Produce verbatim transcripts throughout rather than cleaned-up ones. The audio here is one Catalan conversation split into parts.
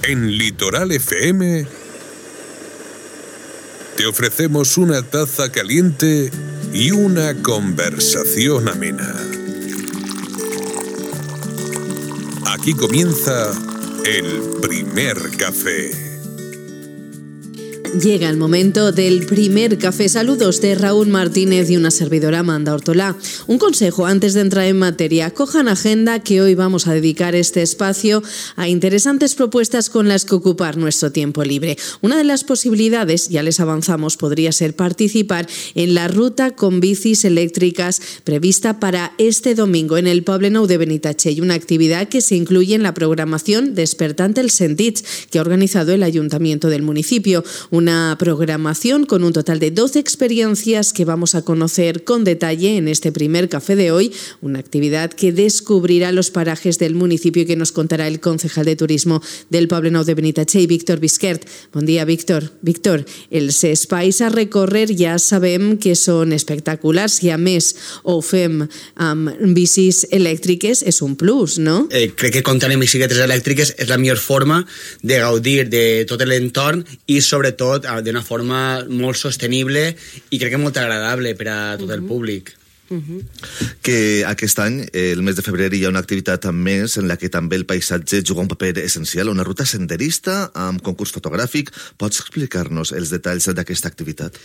En Litoral F M te ofrecemos una taza caliente y una conversación amena. Aquí comienza el primer café. Llega el momento del primer café. Saludos de Raúl Martínez y una servidora, Amanda Ortolá. Un consejo antes de entrar en materia. Cojan agenda que hoy vamos a dedicar este espacio a interesantes propuestas con las que ocupar nuestro tiempo libre. Una de las posibilidades, ya les avanzamos, podría ser participar en la ruta con bicis eléctricas prevista para este domingo en el Poble Nou de Benitatxell, una actividad que se incluye en la programación Despertant els Sentits que ha organizado el Ayuntamiento del municipio. Una programación con un total de doce experiencias que vamos a conocer con detalle en este primer café de hoy, una actividad que descubrirá los parajes del municipio y que nos contará el concejal de turismo del Poble Nou de Benitatxell, Víctor Bisquert. Bon dia, Víctor. Víctor, els espais a recórrer ja sabem que són espectaculars i a més ho fem amb bicis elèctriques, és un plus, no? Eh, crec que comptar amb bicicletes elèctriques és la millor forma de gaudir de tot l'entorn i sobretot d'una forma molt sostenible i crec que molt agradable per a tot el públic. Uh-huh. Que aquest any, el mes de febrer, hi ha una activitat més en la que també el paisatge juga un paper essencial, una ruta senderista amb concurs fotogràfic. Pots explicar-nos els detalls d'aquesta activitat?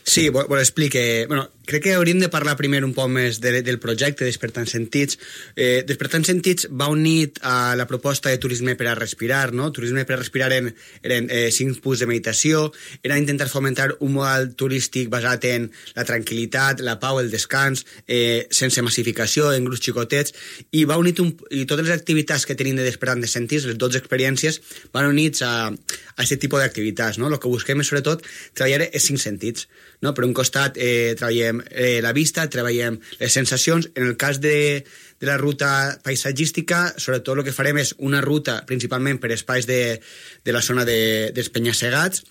Sí, vos explique. Bueno, crec que hauríem de parlar primer un poc més de, del projecte Despertant Sentits. Eh, Despertant Sentits va unit a la proposta de turisme per a respirar, no? Turisme per a respirar eren, eren eh, cinc punts de meditació, era intentar fomentar un model turístic basat en la tranquil·litat, la pau, el descans, eh, sense massificació, en grups xicotets, i va unit un, i totes les activitats que tenim de Despertant Sentits, les dotze experiències, van units a, a aquest tipus d'activitats, no? El que busquem és, sobretot, treballar els cinc sentits, no? Per un costat eh, treballem eh, la vista, treballem les sensacions. En el cas de, de la ruta paisatgística, sobretot el que farem és una ruta principalment per espais de, de la zona de, dels penya-segats,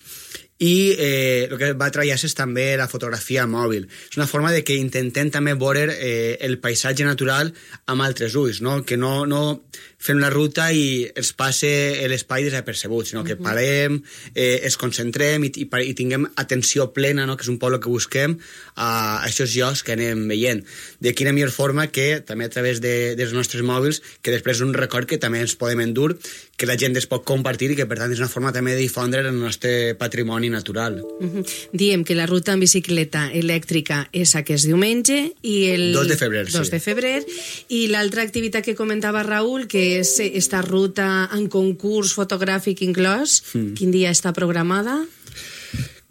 i eh, el que va treballar és també la fotografia mòbil. És una forma de que intentem també veure eh, el paisatge natural amb altres ulls, no? Que no, no fem la ruta i ens passe l'espai desapercebut, sinó que parem, eh, ens concentrem i, i, i tinguem atenció plena, no? Que és un poc el que busquem a, a aquests llocs que anem veient. De quina millor forma que també a través de, dels nostres mòbils, que després és un record que també ens podem endur, que la gent es pot compartir i que per tant és una forma també de difondre el nostre patrimoni natural. Uh-huh. Diem que la ruta en bicicleta elèctrica és aquest diumenge i el dos de febrer, dos sí. de febrer, i l'altra activitat que comentava Raúl, que és esta ruta en concurs fotogràfic inclòs, mm. quin dia està programada?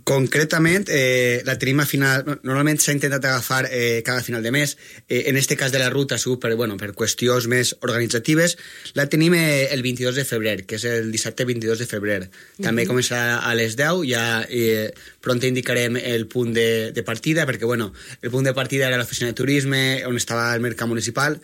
Concretament, eh, la tenim a final... Normalment s'ha intentat agafar eh, cada final de mes. Eh, en este cas de la ruta, segur, per, bueno, per qüestions més organitzatives, la tenim eh, el vint-i-dos de febrer, que és el dissabte vint-i-dos de febrer. També mm-hmm. començarà a les deu, ja eh, pront indicarem el punt de, de partida, perquè, bueno, el punt de partida era l'oficina de turisme, on estava el mercat municipal.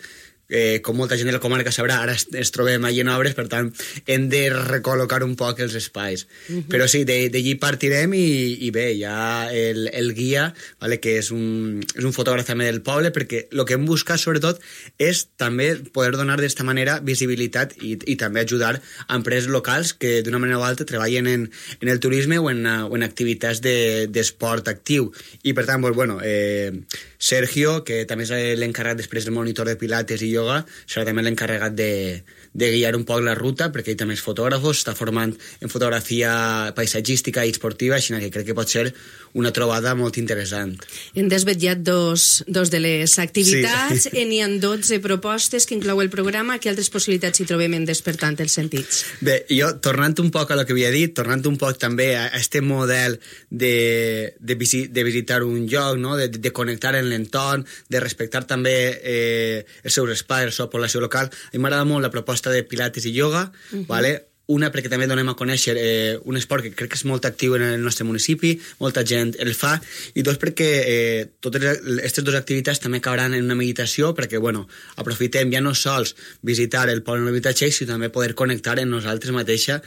Eh, com molta gent de la comarca sabrà, ara es, es trobem allí en obres, per tant hem de recol·locar un poc els espais. Uh-huh. Però sí, d'allí partirem i, i bé, hi ha el, el guia, vale, que és un, és un fotògraf també del poble, perquè el que hem buscat sobretot és també poder donar d'esta manera visibilitat i, i també ajudar a empreses locals que d'una manera o altra treballen en, en el turisme o en, o en activitats d'esport de, actiu. I per tant, pues, bueno, eh, Sergio, que també és l'encarregat després del monitor de pilates i yoga, serà també l'encarregat de, de guiar un poc la ruta, perquè ell també és fotògraf, està formant en fotografia paisatgística i esportiva, així que crec que pot ser una trobada molt interessant. Hem desvetllat dos, dos de les activitats, sí. N'hi ha dotze propostes que inclou el programa. Quines altres possibilitats hi trobem en Despertant els Sentits? Bé, jo, tornant un poc a lo que havia dit, tornant un poc també a aquest model de, de, visi, de visitar un lloc, no? de, de connectar en l'entorn, de respectar també eh, els seus espais, la seva població local. A mi m'agrada molt la proposta de pilates i yoga, uh-huh. vale? Una, perquè també donem a conèixer eh, un esport que crec que és molt actiu en el nostre municipi, molta gent el fa, i dos, perquè eh, totes aquestes dues activitats també acabaran en una meditació, perquè, bueno, aprofitem ja no sols visitar el poble de Benitatxell, sinó també poder connectar en nosaltres mateixa,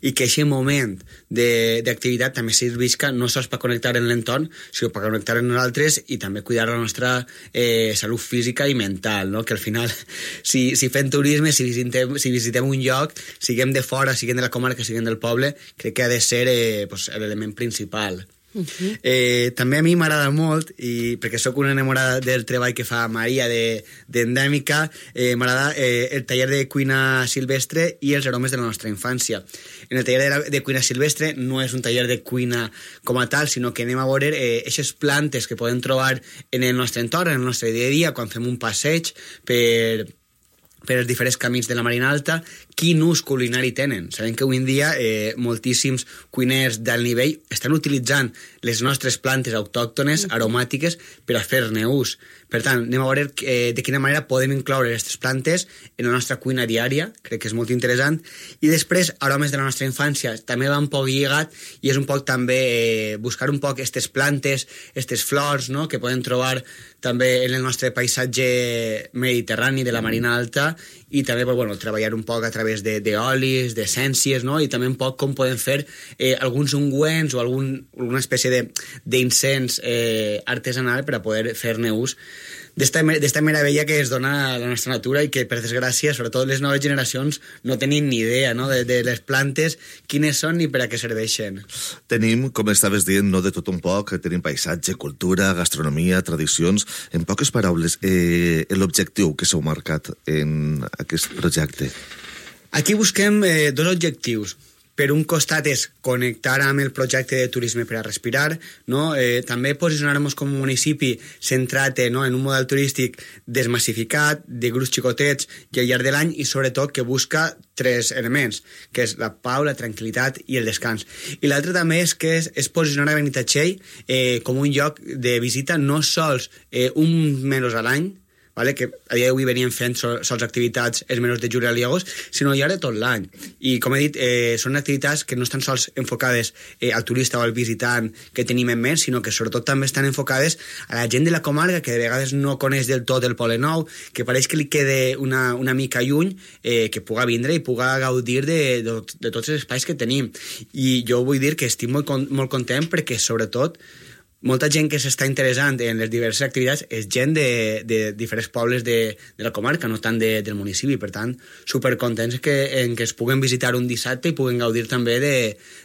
i que aquest moment d'activitat també servisca no sols per connectar en l'entorn, sinó per connectar en nosaltres i també cuidar la nostra eh, salut física i mental, no? Que al final, si, si fem turisme, si visitem, si visitem un lloc, siguem de fora, siguin de la comarca, siguin del poble, crec que ha de ser eh, pues, l'element principal. Uh-huh. Eh, també a mi m'agrada molt, i perquè sóc una enamorada del treball que fa Maria d'Endèmica, de, eh, m'agrada eh, el taller de cuina silvestre i els aromes de la nostra infància. En el taller de, la, de cuina silvestre no és un taller de cuina com a tal, sinó que anem a veure aquestes eh, plantes que podem trobar en el nostre entorn, en el nostre dia a dia, quan fem un passeig per... per els diferents camins de la Marina Alta, quin ús culinari tenen. Sabem que avui en dia eh, moltíssims cuiners d'alt nivell estan utilitzant les nostres plantes autòctones, aromàtiques, per a fer-ne ús. Per tant, anem a veure eh, de quina manera podem incloure aquestes plantes en la nostra cuina diària, crec que és molt interessant. I després, aromes de la nostra infància, també va un poc lligat, i és un poc també eh, buscar un poc aquestes plantes, aquestes flors, no?, que podem trobar també en el nostre paisatge mediterrani de la Marina Alta, i també bueno, treballar un poc a través d'olis, d'essències, no? I també un poc com podem fer eh, alguns ungüents o algun, alguna espècie d'incens eh, artesanal per a poder fer-ne ús d'esta meravella que es dona a la nostra natura i que, per desgràcia, sobretot les noves generacions no tenim ni idea, no?, de, de les plantes, quines són ni per a què serveixen. Tenim, com estaves dient, no de tot un poc, tenim paisatge, cultura, gastronomia, tradicions. En poques paraules, eh, l'objectiu que s'heu marcat en aquest projecte? Aquí busquem eh, dos objectius. Per un costat és connectar amb el projecte de turisme per a respirar, no? eh, també posicionar-nos com a municipi centrat eh, no? en un model turístic desmassificat, de grups xicotets i al llarg de l'any, i sobretot que busca tres elements, que és la pau, la tranquil·litat i el descans. I l'altre també és que és, és posicionar a Benitatxell eh, com un lloc de visita no sols eh, un mesos a l'any, vale? Que a dia d'avui venien fent sols activitats els mesos de juliol i agost, sinó al llarg de tot l'any. I, com he dit, eh, són activitats que no estan sols enfocades eh, al turista o al visitant que tenim en ment, sinó que sobretot també estan enfocades a la gent de la comarca que de vegades no coneix del tot el Poble Nou, que pareix que li quede una, una mica lluny, eh, que puga vindre i puga gaudir de, de, de tots els espais que tenim. I jo vull dir que estic molt, molt content perquè, sobretot, molta gent que s'està interessant en les diverses activitats és gent de, de diferents pobles de, de la comarca, no tant de, del municipi. Per tant, supercontents que, en que es puguen visitar un dissabte i puguen gaudir també de,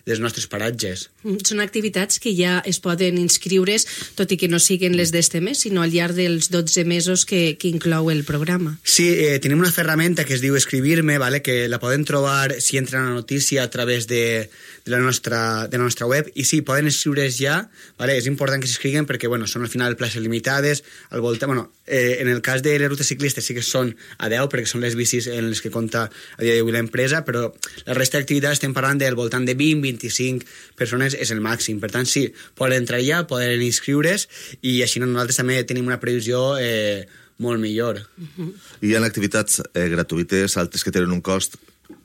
dels nostres paratges. Són activitats que ja es poden inscriure's, tot i que no siguin les d'este mes, sinó al llarg dels dotze mesos que, que inclou el programa. Sí, eh, tenim una ferramenta que es diu Escribir-me, vale? Que la poden trobar si entren a la notícia a través de, de, la nostra, de la nostra web, i sí, poden inscriure's ja, vale? És important que s'inscriguen perquè, bueno, són al final places limitades, al voltant, bueno, eh, en el cas de les rutes ciclistes sí que són a deu, perquè són les bicis en les que compta a dia d'avui l'empresa, però la resta d'activitats estem parlant del voltant de vint a vint-i-cinc persones és el màxim. Per tant, sí, poden entrar ja, poden inscriure's, i així nosaltres també tenim una previsió eh, molt millor. Uh-huh. Hi ha activitats eh, gratuïtes, altres que tenen un cost,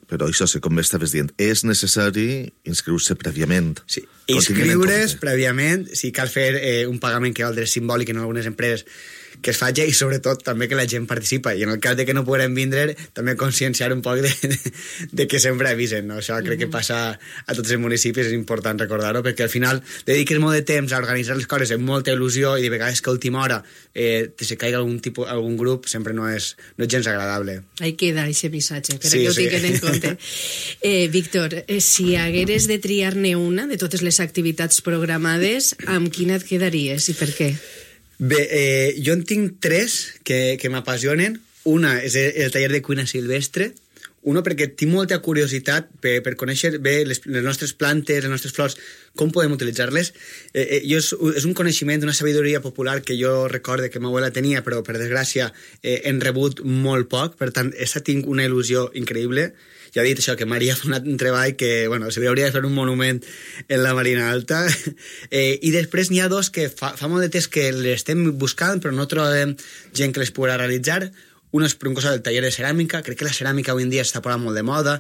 però això, com estaves dient, és necessari inscriure-se prèviament. Sí, inscriure's prèviament, si cal fer eh, un pagament que valdrà simbòlic en algunes empreses que es faci, i sobretot també que la gent participa, i en el cas de que no puguem vindre també conscienciar un poc de, de, de que sempre avisen, no? Això crec que passa a tots els municipis, és important recordar-ho, perquè al final dediques molt de temps a organitzar les coses amb molta il·lusió, i de vegades que a última hora eh, te se caiga algun, tipus, algun grup sempre no és, no és gens agradable. Ahí queda aquest missatge, per sí, que ho sí. tinguin en compte. Eh, Víctor, eh, si hagueres de triar-ne una de totes les activitats programades, amb quina et quedaries i per què? Bé, eh, jo en tinc tres que, que m'apassionen. Una és el taller de cuina silvestre. Una perquè tinc molta curiositat per, per conèixer bé les, les nostres plantes, les nostres flors, com podem utilitzar-les. Eh, eh, jo és, és un coneixement, una sabidoria popular que jo recorde que ma abuela tenia, però per desgràcia eh, hem rebut molt poc. Per tant, aquesta tinc una il·lusió increïble. Ja he dit això, que Maria fa un treball que, bueno, se hauria de fer un monument en la Marina Alta. Eh, I després n'hi ha dos que fa, fa molt de temps que les estem buscant, però no trobem gent que les pugui realitzar. Una és per un costat del taller de ceràmica. Crec que la ceràmica avui en dia està posant molt de moda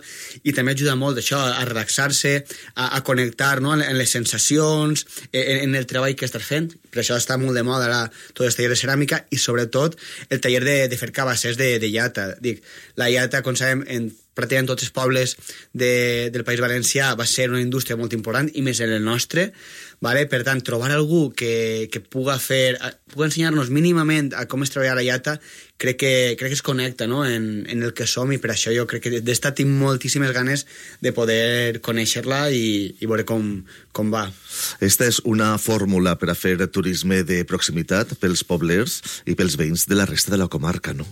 i també ajuda molt això, a relaxar-se, a, a connectar, no?, en les sensacions, en, en el treball que estàs fent. per això està molt de moda ara tot el taller de ceràmica i sobretot el taller de, de fer cabassers de, de llata. Dic, la llata, com sabem, en pràcticament tots els pobles de, del País Valencià va ser una indústria molt important i més en el nostre, vale? Per tant, trobar algú que, que puga fer, puga ensenyar-nos mínimament a com es treballa la llata, crec que, crec que es connecta, no? en, en el que som, i per això jo crec que d'esta tinc moltíssimes ganes de poder conèixer-la i, i veure com, com va. Esta és una fórmula per a fer turisme de proximitat pels poblers i pels veïns de la resta de la comarca, no?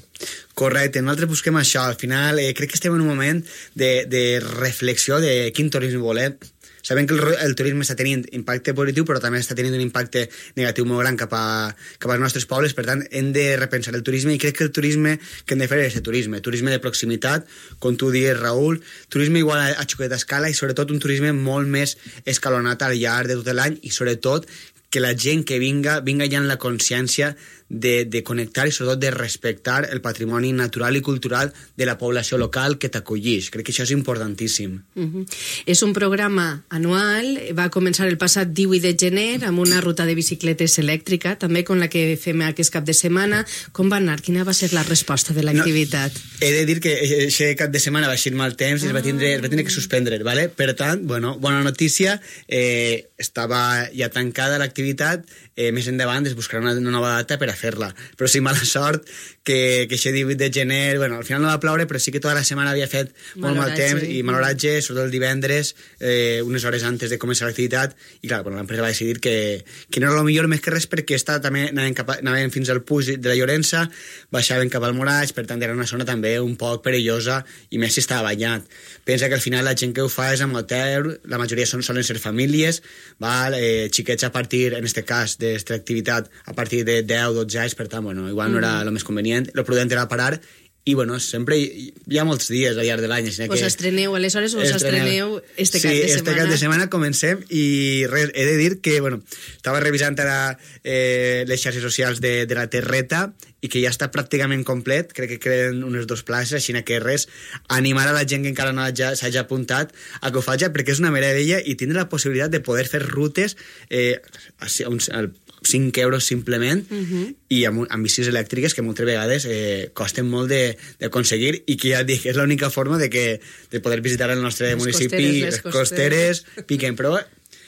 Correcte, nosaltres busquem això. Al final eh, crec que estem en un moment de, de reflexió de quin turisme volem. Sabem que el, el turisme està tenint impacte positiu, però també està tenint un impacte negatiu molt gran cap, a, cap als nostres pobles. Per tant, hem de repensar el turisme, i crec que el turisme que hem de fer és el turisme. Turisme de proximitat, com tu dius, Raül, turisme igual a, a xoqueta escala, i sobretot un turisme molt més escalonat al llarg de tot l'any, i sobretot que la gent que vinga, vinga ja amb la consciència de, de connectar i sobretot de respectar el patrimoni natural i cultural de la població local que t'acollix. Crec que això és importantíssim. Uh-huh. És un programa anual, va començar el passat divuit de gener amb una ruta de bicicletes elèctrica, també com la que fem aquest cap de setmana. Com va anar? Quina va ser la resposta de l'activitat? No, he de dir que aquest cap de setmana va ser mal temps i es va tindre, es va tindre que suspendre, ¿vale? Per tant, bueno, bona notícia, eh, estava ja tancada l'activitat, eh, més endavant es buscarà una, una nova data per a fer-la. Però sí, mala sort que, que aquest divuit de gener, bueno, al final no va ploure, però sí que tota la setmana havia fet molt mal temps i mal oratge, sobretot el divendres, eh, unes hores antes de començar l'activitat, i clar, bueno, l'empresa va decidir que, que no era el millor, més que res perquè està, també anaven, cap a, anaven fins al Puig de la Llorença, baixaven cap al Moraig, per tant era una zona també un poc perillosa, i més si estava banyat. Pensa que al final la gent que ho fa és amb hotel, la majoria són, solen ser famílies, val? Eh, xiquets a partir, en aquest cas, d'aquesta activitat, a partir de deu dotze anys, per tant, bueno, igual no era el més convenient, el prudent era parar, i bueno, sempre hi, hi ha molts dies al llarg de l'any. Us que estreneu, aleshores us estreneu este cap de setmana. Sí, este cap de setmana comencem, i res, he de dir que, bueno, estava revisant ara eh, les xarxes socials de, de la Terreta, i que ja està pràcticament complet, crec que queden unes dues places, així que res, animar a la gent que encara no s'hagi apuntat a que ho faci, perquè és una meravella, i tindre la possibilitat de poder fer rutes eh, al cinc euros simplement, uh-huh. i amb, amb bicis elèctriques que moltes vegades eh, costen molt d'aconseguir, i que ja et dic, és l'única forma de, que, de poder visitar el nostre les municipi, costeres, les costeres, costeres piquen, però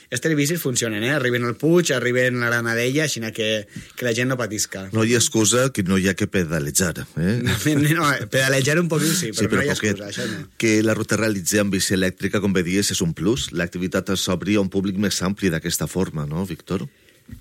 aquestes bicis funcionen, eh? Arriben al Puig, arriben a la Granadella, així que, que la gent no patisca. No hi ha excusa que no hi ha que pedalejar, eh? No, no, pedalejar un poquet sí, però, sí, però no hi ha poquet, excusa, això no. Que la ruta realitzi amb bici elèctrica, com bé dies, és un plus. L'activitat s'obri a un públic més ampli d'aquesta forma, no, Víctor?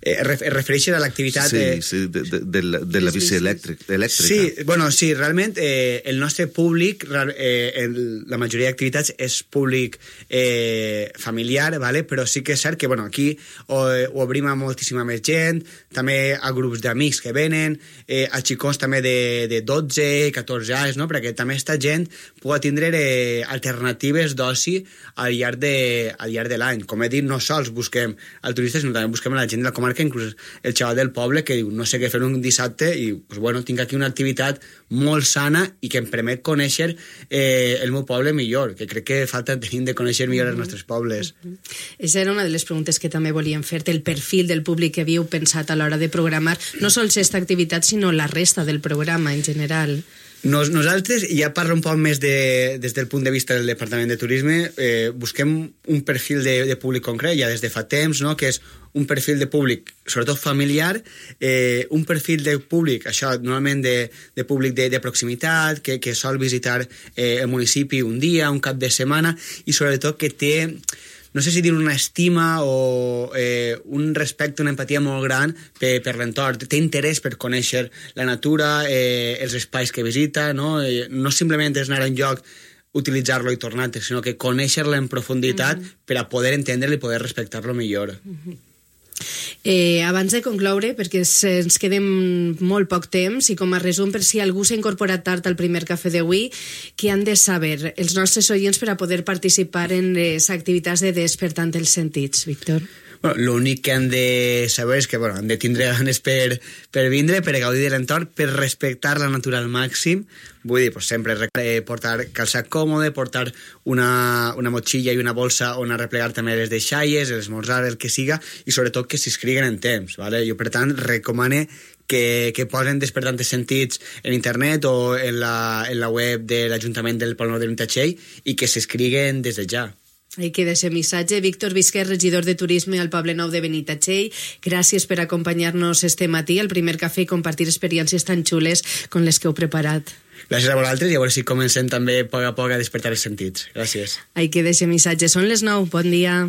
Eh, es refereixes a l'activitat... Sí, eh... sí, de, de, de, la, de la bici elèctrica. Sí, bueno, sí, realment eh, el nostre públic, eh, el, la majoria d'activitats és públic eh, familiar, vale? Però sí que és cert que bueno, aquí ho, ho obrim a moltíssima més gent, també a grups d'amics que venen, eh, a xicons també de, de dotze, catorze anys, no? Perquè també esta gent pugui tindre eh, alternatives d'oci al llarg de, al llarg de l'any. Com he dit, no sols busquem el turista, sinó també busquem la gent de la comarca, inclús el xaval del poble que diu no sé què fer un dissabte i pues, bueno, tinc aquí una activitat molt sana i que em permet conèixer eh, el meu poble millor, que crec que falta tenim de conèixer millor els nostres pobles. Aquesta era una de les preguntes que també volíem fer-te, el perfil del públic que havíeu pensat a l'hora de programar, no sols aquesta activitat sinó la resta del programa en general. Nos, nosaltres, i ja parlo un poc més de, des del punt de vista del Departament de Turisme, eh, busquem un perfil de, de públic concret, ja des de fa temps, no? Que és un perfil de públic, sobretot familiar, eh, un perfil de públic, això normalment de, de públic de, de proximitat, que, que sol visitar eh, el municipi un dia, un cap de setmana, i sobretot que té... no sé si dir una estima o eh, un respecte, una empatia molt gran per, per l'entorn. Té interès per conèixer la natura, eh, els espais que visita, no? Eh, no simplement és anar a un lloc, utilitzar-lo i tornar-te, sinó que conèixer-lo en profunditat mm-hmm. per a poder entendre-lo i poder respectar-lo millor. Mm-hmm. Eh, abans de concloure, perquè ens quedem molt poc temps, i com a resum, per si algú s'ha incorporat tard al primer cafè d'avui, què han de saber els nostres oients per a poder participar en les activitats de Despertant els Sentits, Víctor? Bueno, l'únic que han de saber és que bueno, han de tindre ganes per, per vindre, per gaudir de l'entorn, per respectar la natura al màxim. Vull dir, pues, sempre portar calçat còmode, portar una, una motxilla i una bolsa on arreplegar també les deixalles, l'esmorzar, el que siga, i sobretot que s'inscriguen en temps. ¿vale? Jo, per tant, recomane que, que posen Despertantes Sentits en internet o en la, en la web de l'Ajuntament del Pol Nord de Benitatxell i que s'inscriguen des de ja. Ahí queda ese missatge. Víctor Visquer, regidor de Turisme al Poble Nou de Benitatxell, gràcies per acompanyar-nos este matí al primer cafè i compartir experiències tan xules com les que heu preparat. Gràcies a vosaltres i a veure si comencem també a poc a poc a despertar els sentits. Gràcies. Ahí queda ese missatge. Són les nou. Bon dia.